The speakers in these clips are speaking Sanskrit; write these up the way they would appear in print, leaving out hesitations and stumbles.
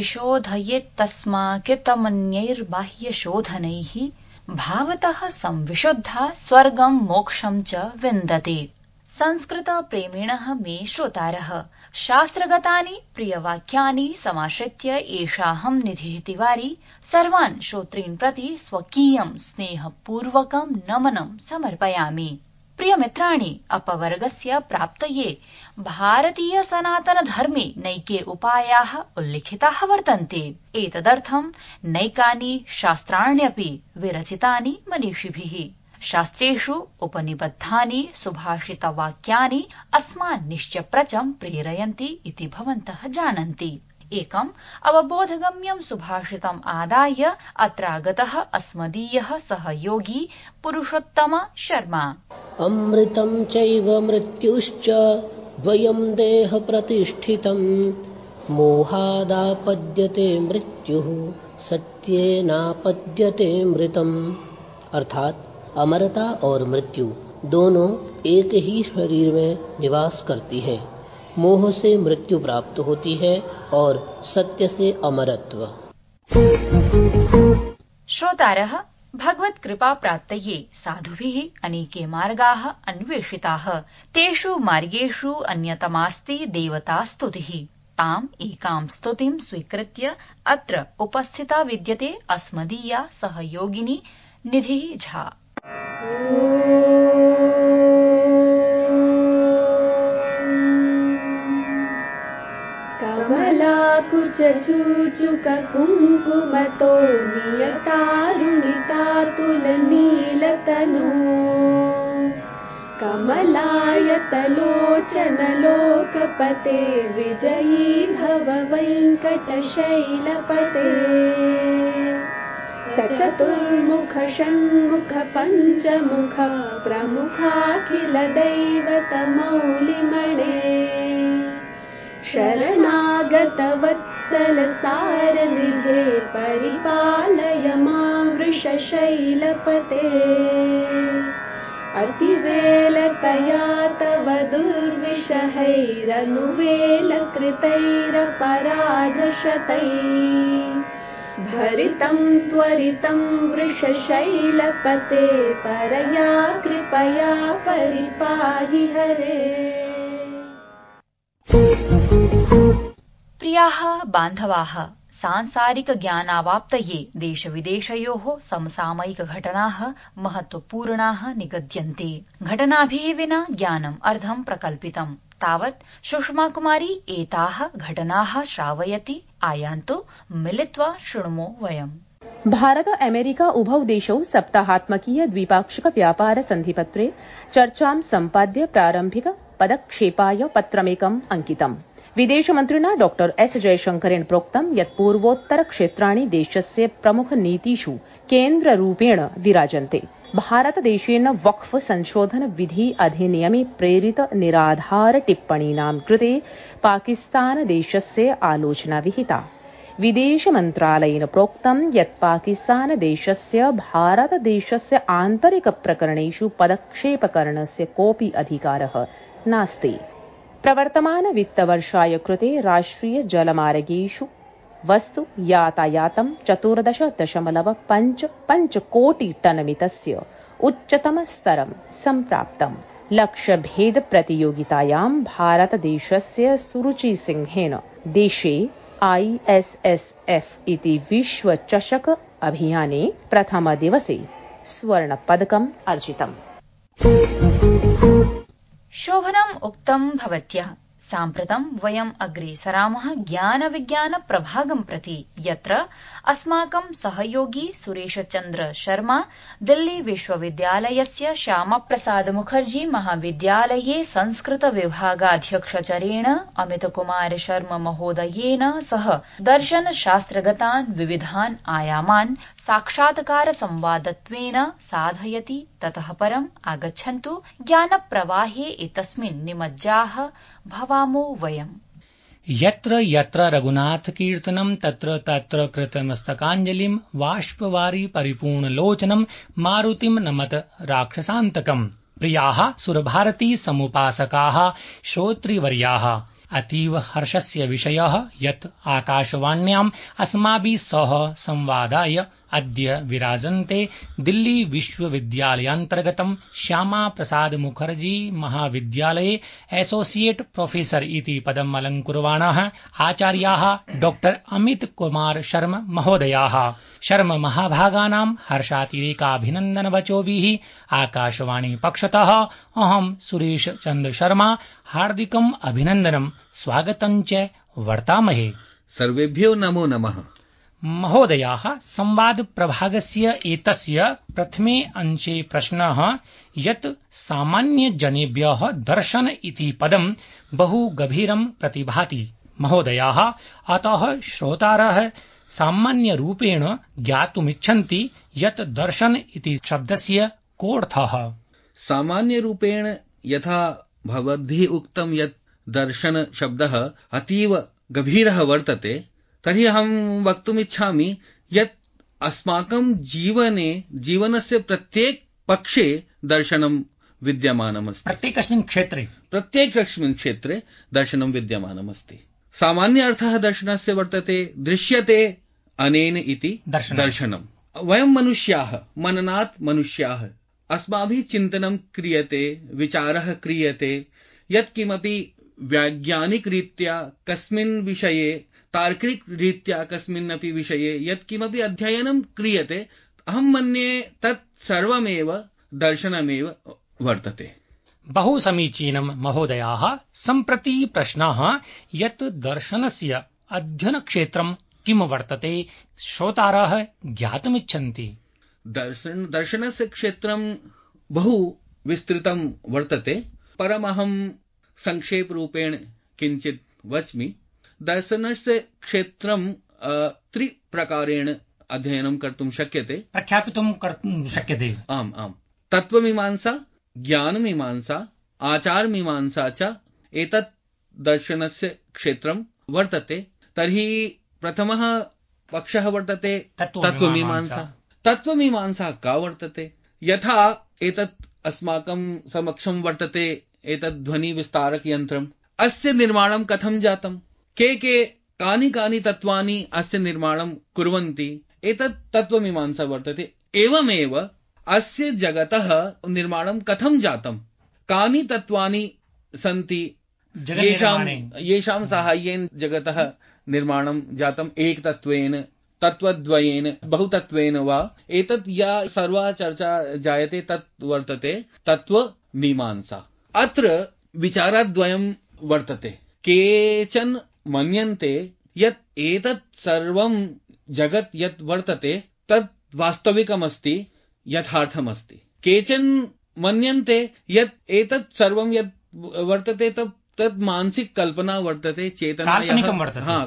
विशोधयेत्तस्माकृतमन्यैर्बाह्यशोधनैः भावतः संविशुद्धा स्वर्गं मोक्षं च विन्दते। संस्कृतप्रेमिणः मे श्रोतारः, शास्त्रगतानि प्रियवाक्यानि समाश्रित्य एषाहं निधिः तिवारी सर्वान् श्रोतॄन् प्रति स्वकीयं स्नेहपूर्वकं नमनं समर्पयामि। प्रियमित्राणि, अपवर्गस्य प्राप्तये भारतीय सनातनधर्मे नैके उपायाः उल्लिखिताः वर्तन्ते। एतदर्थं नैकानि शास्त्राण्यपि विरचितानि मनीषिभिः। शास्त्रेषु उपनिबद्धानि सुभाषितवाक्यानि अस्मान् निश्चप्रचं प्रेरयन्ति इति भवन्तः जानन्ति। एकम् अवबोधगम्यं सुभाषितम् आदाय अत्रागतः अस्मदीयः सहयोगी पुरुषोत्तम शर्मा। अमृतं चैव मृत्युश्च द्वयं देह प्रतिष्ठितं मोहादापद्यते मृत्युः सत्येनापद्यते मृतम्। अर्थात अमरता और मृत्यु दोनों एक ही शरीर में निवास करती है। मोह से मृत्यु प्राप्त होती है और सत्य से अमरत्व। श्रोतारः, भगवत्कृपा प्राप्तये साधुभिः अनेके मार्गाः अन्वेषिताः। तेषु मार्गेषु अन्यतमास्ति देवतास्तुतिः। ताम् एकां स्तुतिं स्वीकृत्य अत्र उपस्थिता विद्यते अस्मदीया सहयोगिनी निधिः झा। कमलाकुचूचुककुङ्कुमतो नियतारुणितातुलनीलतनो कमलायतलोचनलोकपते विजयी भव वेङ्कटशैलपते। सचतुर्मुख षण्मुख पञ्चमुख प्रमुखाखिल दैवतमौलिमणे शरणागत वत्सल सारनिधे परिपालय मां वृषशैलपते। अतिवेलतया तव दुर्विषहैरनुवेलकृतैरपराधशतैः भरितं त्वरितं वृषशैलपते परया कृपया परिपाहि हरे। प्रियाः बान्धवाः, सांसारिक ज्ञानावाप्तये देशविदेशयोः समसामयिकघटनाः महत्वपूर्णाः निगद्यन्ते। घटनाभिः विना ज्ञानम् अर्धं प्रकल्पितम्। तावत् सुषमाकुमारी एताः घटनाः श्रावयति। आयान्तु मिलित्वा शृणुमो वयम्। भारत अमेरिका उभौ देशौ सप्ताहात्मकीय द्विपाक्षिक व्यापार सन्धिपत्रे चर्चां सम्पाद्य प्रारम्भिक पदक्षेपाय पत्रमेकम् अंकितम्। विदेशमन्त्रिणा डॉ एस जयशंकरेण प्रोक्तं यत् पूर्वोत्तर क्षेत्राणि देशस्य प्रमुख नीतिषु केन्द्ररूपेण विराजन्ते। भारतदेशेन वक्फ संशोधन विधि अधिनियमे प्रेरित निराधार टिप्पणीनां कृते पाकिस्तान देशस्य आलोचना विहिता। विदेशमन्त्रालयेन प्रोक्तं यत् पाकिस्तान देशस्य भारतदेशस्य आन्तरिक प्रकरणेषु पदक्षेपकरणस्य कोऽपि अधिकारः नास्ति। प्रवर्तमान वित्तवर्षाय कृते राष्ट्रिय जलमार्गेषु वस्तु यातायातं 14.55 कोटि टनमितस्य उच्चतम स्तरं सम्प्राप्तम्। लक्ष्यभेद प्रतियोगितायां भारतदेशस्य सुरुचि सिंहेन देशे ISSF इति विश्वचषक अभियाने प्रथमदिवसे स्वर्णपदकम् अर्जितम्। शोभनम् उक्तं भवत्या। साम्प्रतं वयम् अग्रे सरामः ज्ञानविज्ञान प्रभागं प्रति, यत्र अस्माकं सहयोगी सुरेशचन्द्र शर्मा दिल्ली विश्वविद्यालयस्य श्यामाप्रसाद मुखर्जी महाविद्यालये संस्कृत विभागाध्यक्षचरेण अमितकुमार शर्मा महोदयेन सह दर्शनशास्त्रगतान् विविधान् आयामान् साक्षात्कार संवादत्वेन साधयति। ततः परम् आगच्छन्तु ज्ञानप्रवाहे एतस्मिन् निमज्जाः भवामो वयम्। यत्र यत्र रघुनाथकीर्तनं तत्र तत्र कृतमस्तकाञ्जलिं बाष्पवारि परिपूर्णलोचनं मारुतिं नमत राक्षसान्तकम्। प्रियाः सुरभारती समुपासकाः श्रोतृवर्याः, अतीव हर्षस्य विषयः यत् आकाशवाण्याम् अस्माभिः सह संवादाय अद्य विराजन्ते दिल्ली विश्वविद्यालयान्तर्गतं श्यामा प्रसाद मुखर्जी महाविद्यालये एसोसिएट प्रोफेसर इति पदम् अलङ्कुर्वाणाः आचार्याः डॉक्टर अमित कुमार शर्म महोदयाः। शर्म महाभागानां हर्षातिरेकाभिनन्दनवचोभिः आकाशवाणी पक्षतः अहं सुरेश चन्द्र शर्मा हार्दिकम् अभिनन्दनं स्वागतं च वर्तामहे। सर्वेभ्यो नमो नमः। महोदयाः, संवाद प्रभागस्य एतस्य प्रथमे अंशे प्रश्नः यत् सामान्यजनेभ्यः दर्शन इति पदं बहु गभीरं प्रतिभाति। महोदयाः, अतः श्रोतारः सामान्यरूपेण ज्ञातुमिच्छन्ति यत् दर्शन इति शब्दस्य कोऽर्थः। सामान्यरूपेण यथा भवद्भिः उक्तं यत् दर्शन शब्दः अतीव गभीरः वर्तते, तर्हि अहं वक्तुमिच्छामि यत् अस्माकं जीवनस्य प्रत्येक पक्षे दर्शनं विद्यमानमस्ति। प्रत्येकस्मिन् क्षेत्रे दर्शनं विद्यमानमस्ति। सामान्य अर्थः दर्शनस्य वर्तते दृश्यते अनेन इति दर्शनम्। वयं मनुष्याः, मननात् मनुष्याः, अस्माभिः चिन्तनं क्रियते, विचारः क्रियते, यत् किमपि वैज्ञानिक रीत्या कस्मिन् विषये, तार्किक रीत्या कस्मिन्नपि विषये यत् किमपि अध्ययनं क्रियते, अहं मन्ये तत् सर्वमेव दर्शनमेव वर्तते। बहु समीचीनं महोदयाः। सम्प्रति प्रश्नः यत् दर्शनस्य अध्ययनक्षेत्रं किं वर्तते, श्रोतारः ज्ञातुमिच्छन्ति। दर्शनस्य क्षेत्रं बहु विस्तृतं वर्तते, परमहं संक्षेपरूपेण किञ्चित् वच्मि। दर्शनस्य क्षेत्रं त्रिप्रकारेण अध्ययनं कर्तुं शक्यते, प्रख्यापितुं कर्तुं शक्यते। आम्। तत्त्वमीमांसा, ज्ञानमीमांसा, आचारमीमांसा च एतत् दर्शनस्य क्षेत्रं वर्तते। तर्हि प्रथमः पक्षः वर्तते तत्त्वमीमांसा। तत्त्वमीमांसा का वर्तते? यथा एतत् अस्माकं समक्षं वर्तते एतत् ध्वनिविस्तारक यन्त्रम्, अस्य निर्माणं कथं जातम्, के कानि तत्त्वानि अस्य निर्माणं कुर्वन्ति, एतत् तत्त्वमीमांसा वर्तते। एवमेव अस्य जगतः निर्माणं कथं जातम्, कानि तत्त्वानि सन्ति येषां साहाय्येन जगतः निर्माणं जातम्, एकतत्त्वेन, तत्त्वद्वयेन, बहुतत्त्वेन वा, एतत् या सर्वा चर्चा जायते तत् वर्तते तत्त्वमीमांसा। अत्र विचारद्वयं वर्तते। केचन मन्यन्ते यत् एतत् सर्वं जगत् यत् वर्तते तत् वास्तविकमस्ति, यथार्थमस्ति। केचन मन्यन्ते यत् एतत् सर्वं यत् वर्तते तत् मानसिक कल्पना वर्तते,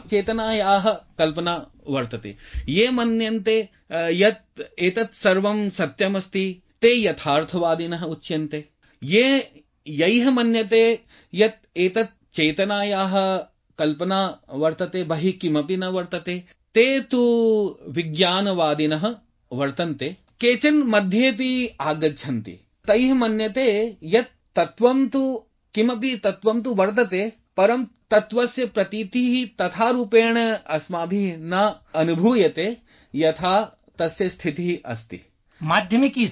चेतनायाः कल्पना वर्तते। ये मन्यन्ते यत् एतत् सर्वं सत्यमस्ति ते यथार्थवादिनः उच्यन्ते। यैः मन्यते यत् एतत् चेतनायाः कल्पना वर्तते, बहिः किमपि न वर्तते, ते तु विज्ञानवादिनः वर्तन्ते। केचन मध्येपि आगच्छन्ति। तैः मन्यते यत् तत्त्वं तु किमपि तत्त्वं तु वर्तते, परं तत्त्वस्य प्रतीतिः तथा रूपेण अस्माभिः न अनुभूयते यथा तस्य स्थितिः अस्ति। माध्यमिकी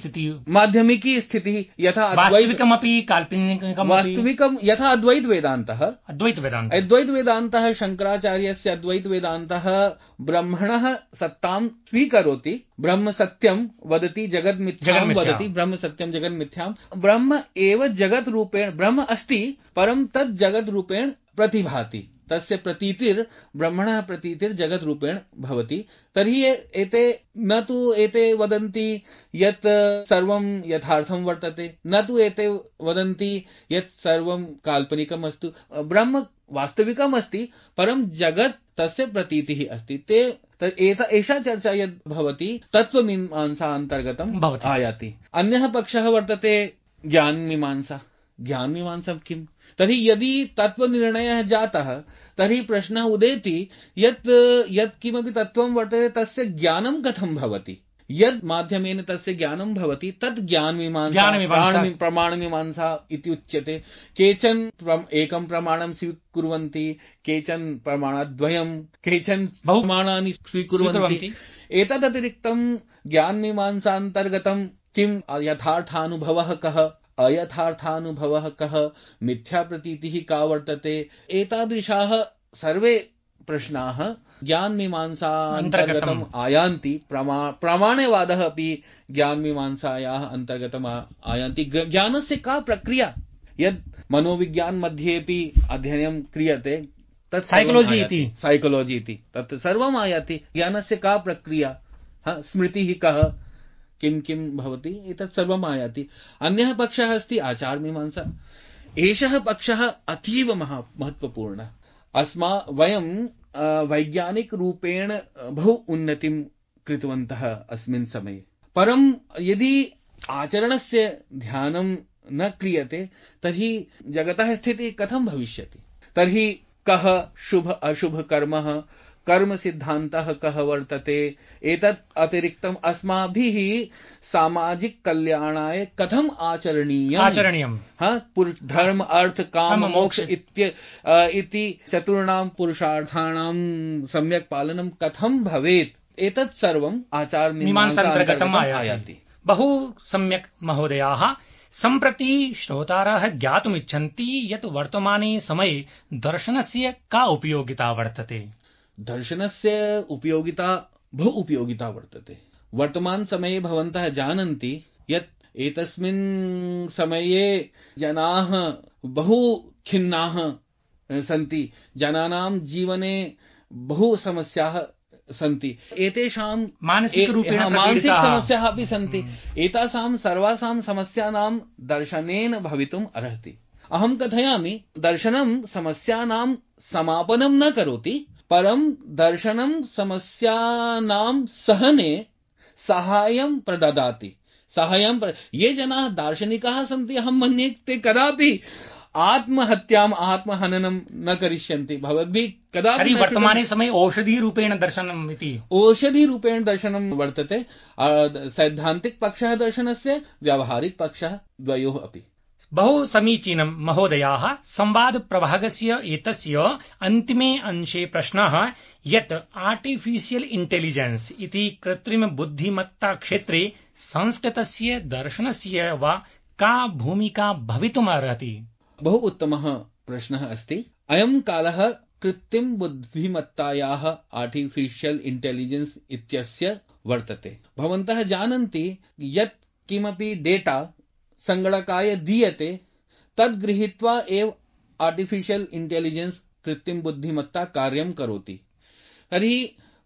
स्थितिः यथा वास्तविकमपि काल्पनिकमपि। वास्तविकं यथा अद्वैत वेदान्तः शंकराचार्यस्य अद्वैत वेदान्तः ब्रह्मणः सत्तां स्वीकरोति। ब्रह्म सत्यं वदति, जगत् मिथ्यां वदति। ब्रह्म सत्यं जगत् मिथ्यां। ब्रह्म एव जगत् रूपेण, ब्रह्म अस्ति परं तत् जगत् रूपेण प्रतिभाति। तस्य प्रतीतिर् ब्रह्मणः प्रतीतिर् जगत् रूपेण भवति। तर्हि एते न तु एते वदन्ति यत् सर्वं यथार्थं वर्तते, न तु एते वदन्ति यत् सर्वं काल्पनिकम् अस्ति। ब्रह्म वास्तविकम् अस्ति, परं जगत् तस्य प्रतीतिः अस्ति। एषा चर्चा यद् भवति तत्त्वमीमांसा अन्तर्गतम् आयाति। अन्यः पक्षः वर्तते ज्ञानमीमांसा। ज्ञानमीमांसा किम्? तर्हि यदि तत्त्वनिर्णयः जातः तर्हि प्रश्नः उदेति यत् किमपि तत्त्वं वर्तते तस्य ज्ञानं कथं भवति। यद् माध्यमेन तस्य ज्ञानं भवति तत् ज्ञानमीमांसा प्रमाणमीमांसा इति उच्यते। केचन एकं प्रमाणं स्वीकुर्वन्ति, केचन प्रमाणद्वयं, केचन बहुप्रमाणानि स्वीकुर्वन्ति। एतदतिरिक्तं ज्ञानमीमांसान्तर्गतं किं यथार्थानुभवः कः, अयथार्थानुभवः कः, मिथ्याप्रतीतिः का वर्तते, एतादृशाः सर्वे प्रश्नाः ज्ञानमीमांसान्तर्गतम् आयान्ति। प्रामाण्यवादः अपि ज्ञानमीमांसायाः अन्तर्गतम् आयान्ति। ज्ञानस्य का प्रक्रिया, यद् मनोविज्ञान मध्येपि अध्ययनं क्रियते तत् साइकोलॉजी इति तत् सर्वम् आयाति। ज्ञानस्य का प्रक्रिया, स्मृतिः कः, किं किं भवति, एतत् सर्वम् आयाति। अन्यः पक्षः अस्ति आचारमीमांसा। एषः पक्षः अतीव महत्वपूर्णः। वयं वैज्ञानिक रूपेण बहु उन्नतिं कृतवन्तः अस्मिन् समये, परं यदि आचरणस्य ध्यानं न क्रियते तर्हि जगतः स्थितिः कथं भविष्यति। तर्हि कः शुभ अशुभ कर्म सिद्धान्तः कः वर्तते, एतत् अतिरिक्तम् अस्माभिः सामाजिक कल्याणाय कथम् आचरणीयम्, धर्म अर्थ काम मोक्ष इति चतुर्णां पुरुषार्थानां सम्यक् पालनं कथं भवेत्, एतत् सर्वम् आचारमीमांसान्तर्गतम् आयाति। बहु सम्यक् महोदयाः। सम्प्रति श्रोतारः ज्ञातुमिच्छन्ति यत् वर्तमाने समये दर्शनस्य का उपयोगिता वर्तते। दर्शनस्य उपयोगिता बहु उपयोगिता वर्तते। वर्तमान समये भवन्तः जानन्ति यत् एतस्मिन् समये जनाः बहु खिन्नाः सन्ति, जनानां जीवने बहु समस्याः सन्ति, एतेषां मानसिक समस्याः अपि सन्ति। एतासां सर्वासां समस्यानां दर्शनेन भवितुम् अर्हति। अहं कथयामि, दर्शनं समस्यानां समापनं न करोति, परं दर्शनं समस्यानां सहने साहाय्यं प्रददाति। ये जनाः दार्शनिकाः सन्ति, अहं मन्ये ते कदापि आत्महत्याम् आत्महननं न करिष्यन्ति। भवद्भिः कदापि वर्तमाने समये औषधिरूपेण दर्शनम् इति औषधिरूपेण दर्शनं वर्तते। सैद्धान्तिक पक्षः दर्शनस्य, व्यावहारिक पक्षः, द्वयोः अपि। बहु समीचीनं महोदयाः। संवाद प्रभागस्य एतस्य अन्तिमे अंशे प्रश्नः यत् आर्टिफिशियल् इंटेलिजेंस इति कृत्रिम बुद्धिमत्ता क्षेत्रे संस्कृतस्य दर्शनस्य वा का भूमिका भवितुमर्हति। बहु उत्तमः प्रश्नः अस्ति। अयं कालः कृत्रिम बुद्धिमत्तायाः आर्टिफिशियल् इंटेलिजेंस इत्यस्य वर्तते। भवन्तः जानन्ति यत् किमपि डेटा संगणकाय दीयते तद् गृहीत्वा एव आर्टिफिशियल् इंटेलिजेंस कृत्रिम बुद्धिमत्ता कार्यं करोति। तर्हि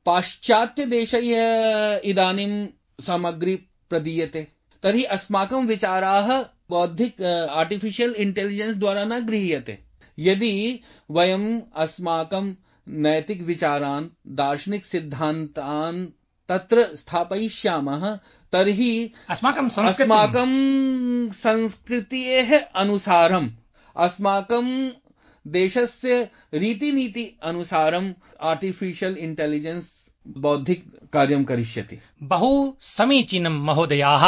पाश्चात्यदेशैः इदानीं सामग्री प्रदीयते, तर्हि अस्माकं विचाराः बौद्धिक आर्टिफिशियल् इंटेलिजेंस द्वारा न गृह्यते। यदि वयम् अस्माकं नैतिक विचारान्, दार्शनिक सिद्धान्तान् तत्र स्थापयिष्यामः तर्हि अस्माकं संस्कृतेः अनुसारम्, अस्माकं देशस्य रीतिनीति अनुसारम् आर्टिफिशियल् इंटेलिजेंस बौद्धिक कार्यं करिष्यति। बहु समीचीनं महोदयाः।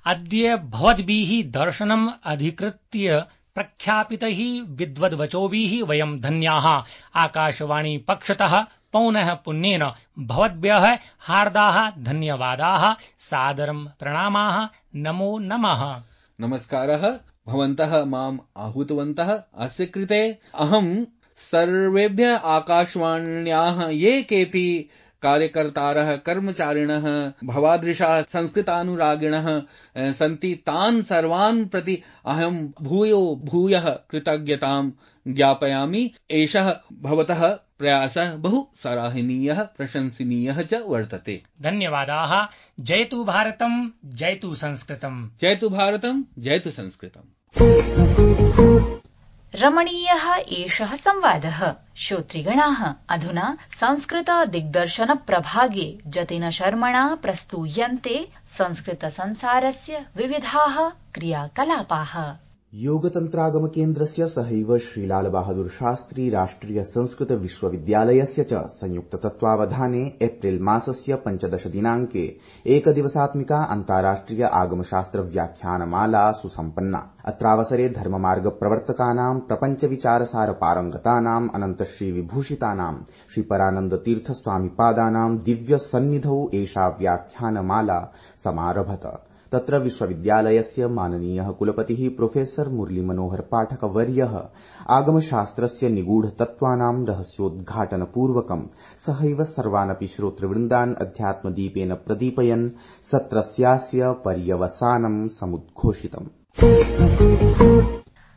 अद्य भवद्भिः दर्शनम् अधिकृत्य प्रख्यापितैः विद्वद्वचोभिः वयं धन्याः। आकाशवाणी पक्षतः पौनः पुण्येन भवद्भ्यः हार्दाः धन्यवादाः, सादरं प्रणामाः, नमो नमः। नमस्कारः। भवन्तः माम् आहूतवन्तः अस्य कृते अहं सर्वेभ्यः आकाशवाण्याः ये केऽपि कार्यकर्तारः, कर्मचारिणः, भवादृशाः संस्कृतानुरागिणः सन्ति, तान् सर्वान् प्रति अहं भूयः कृतज्ञतां ज्ञापयामि। एषः भवतः प्रयासः बहु सराहनीयः, प्रशंसनीयः च वर्तते। धन्यवादाः। जयतु भारतम्, जयतु संस्कृतम्। जयतु भारतम्, जयतु संस्कृतम्। रमणीयः एषः संवादः। श्रोतृगणाः, अधुना संस्कृत दिग्दर्शन प्रभागे जतिन शर्मणा प्रस्तूयन्ते संस्कृत संसारस्य विविधाः क्रियाकलापाः। योगतन्त्रागम केन्द्रस्य सहैव श्रीलालबहादुर शास्त्री राष्ट्रिय संस्कृत विश्वविद्यालयस्य च संयुक्त तत्त्वावधाने एप्रिल मासस्य 15 दिनाङ्के एकदिवसात्मिका अन्ताराष्ट्रिय आगमशास्त्र व्याख्यानमाला सुसम्पन्ना। अत्रावसरे धर्ममार्ग प्रवर्तकानां प्रपञ्च विचारसार पारंगतानां अनन्त श्री विभूषितानां श्री परानन्द तीर्थ स्वामिपादानां दिव्य सन्निधौ एषा व्याख्यानमाला समारभत। तत्र विश्वविद्यालयस्य माननीयः कुलपतिः प्रोफेसर मुरली मनोहर पाठक वर्यः आगमशास्त्रस्य निगूढ तत्त्वानां रहस्योद्घाटनपूर्वकं सहैव सर्वानपि श्रोतृवृन्दान् अध्यात्मदीपेन प्रदीपयन् सत्रस्यास्य पर्यवसानं समुद्घोषितम्।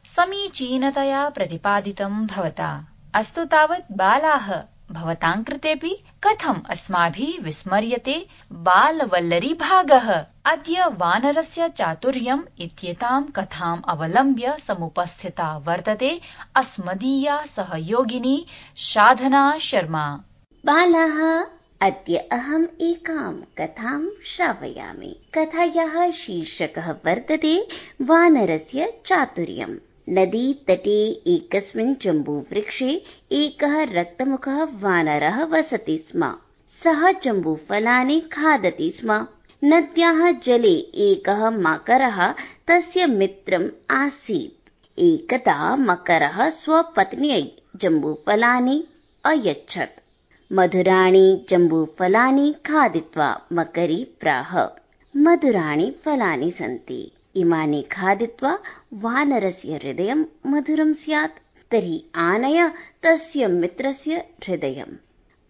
समीचीनतया प्रतिपादितं भवता। अस्तु तावत् बालाः भवतां कृतेऽपि कथम् अस्माभिः विस्मर्यते बालवल्लरी भागः। अद्य वानरस्य चातुर्यम् इत्येतां कथाम् अवलम्ब्य समुपस्थिता वर्तते अस्मदीया सहयोगिनी साधना शर्मा। बालाः, अद्य अहम् एकां कथां श्रावयामि। कथायाः शीर्षकः वर्तते वानरस्य चातुर्यम्। नदी तटे एकस्मिन् जम्बूवृक्षे एकः रक्तमुखः वानरः वसति स्म। सः जम्बूफलानि खादति स्म। नद्याः जले एकः मकरः तस्य मित्रम् आसीत्। एकदा मकरः स्वपत्न्यै जम्बूफलानि अयच्छत्। मधुराणि जम्बूफलानि खादित्वा मकरी प्राह, मधुराणि फलानि सन्ति। इमानि खादित्वा वानरस्य हृदयं मधुरं स्यात्, तर्हि आनय तस्य मित्रस्य हृदयम्।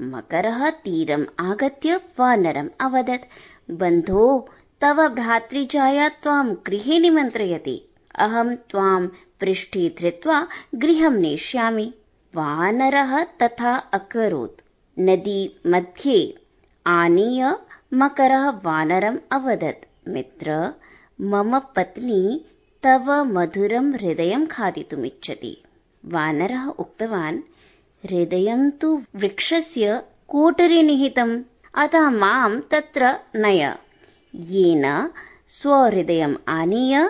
मकरः तीरम् आगत्य वानरम् अवदत्, बन्धो, तव भ्रातृजाया त्वां गृहे निमन्त्रयति। अहं त्वां पृष्ठे धृत्वा गृहं नेष्यामि। वानरः तथा अकरोत्। नदी मध्ये आनीय मकरः वानरम् अवदत्, मित्र, मम पत्नी तव मधुरं हृदयं खादितुमिच्छति। वानरः उक्तवान्, हृदयं तु वृक्षस्य कोटरे निहितम्, अतः मां तत्र नय, येन स्वहृदयम् आनीय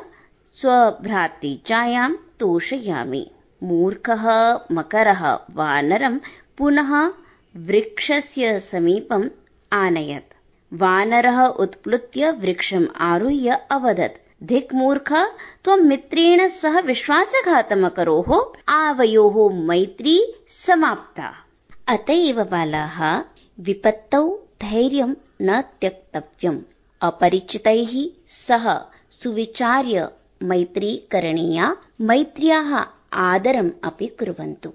स्वभ्रातृजायां तोषयामि। मूर्खः मकरः वानरं पुनः वृक्षस्य समीपम् आनयत्। वानरः उत्प्लुत्य वृक्षम् आरुह्य अवदत्, धिक् मूर्ख, त्वं मित्रेण सह विश्वासघातमकरोः, आवयोः मैत्री समाप्ता। अत एव बालाः, विपत्तौ धैर्यं न त्यक्तव्यम्। अपरिचितैः सह सुविचार्य मैत्री करणीया। मैत्र्याः आदरम् अपि कुर्वन्तु।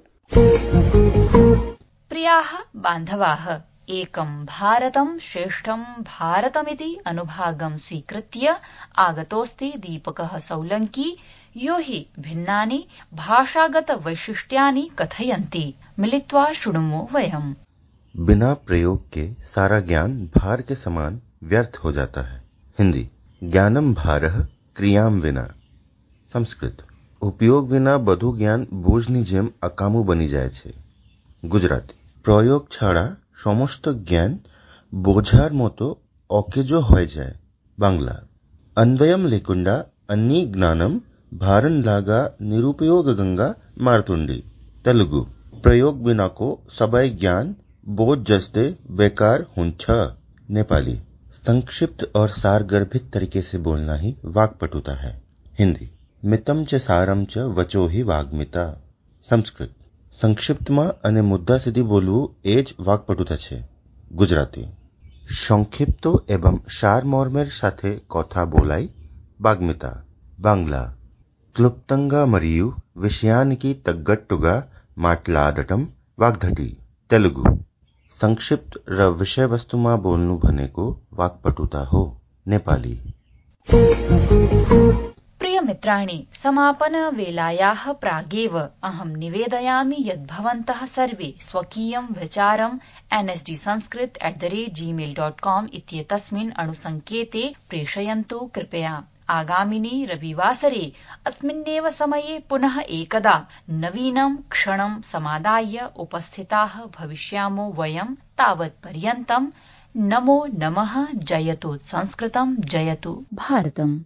प्रियाः बान्धवाः, एकं भारतं श्रेष्ठं भारतमिति अनुभागं स्वीकृत्य आगतोऽस्ति दीपकः सौलङ्की, यो हि भिन्नानि भाषागत वैशिष्ट्यानि कथयन्ति। मिलित्वा शृणुमो वयम्। बिना प्रयोग के सारा ज्ञान भार के समान व्यर्थ हो जाता है। हिंदी, ज्ञानम भारः क्रियाम विना। संस्कृत, उपयोग विना બધું જ્ઞાન બોજની જેમ અકામું બની જાય છે। ગુજરાતી, প্রয়োগ ছাড়া সমস্ত জ্ঞান বোঝার মতো অকেজো হয়ে যায়। বাংলা, अन्वयम लेकुंडा अन्नी ज्ञानम भारन लागा निरुपयोग गंगा मारतुंडी। तेलुगु, प्रयोग बिना को सबई ज्ञान बोझ जस्ते बेकार हुंछ। नेपाली, संक्षिप्त और सारगर्भित तरीके से बोलना ही वाक्पटुता है। हिंदी, मितम च सारम च वचो ही वाग्मिता। संस्कृत, संक्षिप्तમાં અને મુદ્દા સુધી બોલવું એ જ વાક્પટુતા છે। ગુજરાતી, সংক্ষিপ্ত এবং সারমর্মের সাথে কথা બોલાય વાગ્મિતા। બાંગ્લા, ક્લુપ્તંગા મરિયુ વિષયાનિકી તગ્ગટ્ટુગા માટલાડટમ વાગ્ધટી। તેલુગુ, સંક્ષિપ્ત र विषय वस्तुમાં બોલનું भनेको वाक्पटुता हो। नेपाली। प्रियमित्राणि, समापनवेलायाः प्रागेव अहं निवेदयामि यत् भवन्तः सर्वे स्वकीयं विचारं nsdsanskrit@gmail.com इत्येतस्मिन् अणुसङ्केते प्रेषयन्तु कृपया। आगामिनि रविवासरे अस्मिन्नेव समये पुनः एकदा नवीनं क्षणं समादाय उपस्थिताः भविष्यामो वयं। तावत्पर्यन्तं नमो नमः। जयतु संस्कृतं, जयतु भारतम्।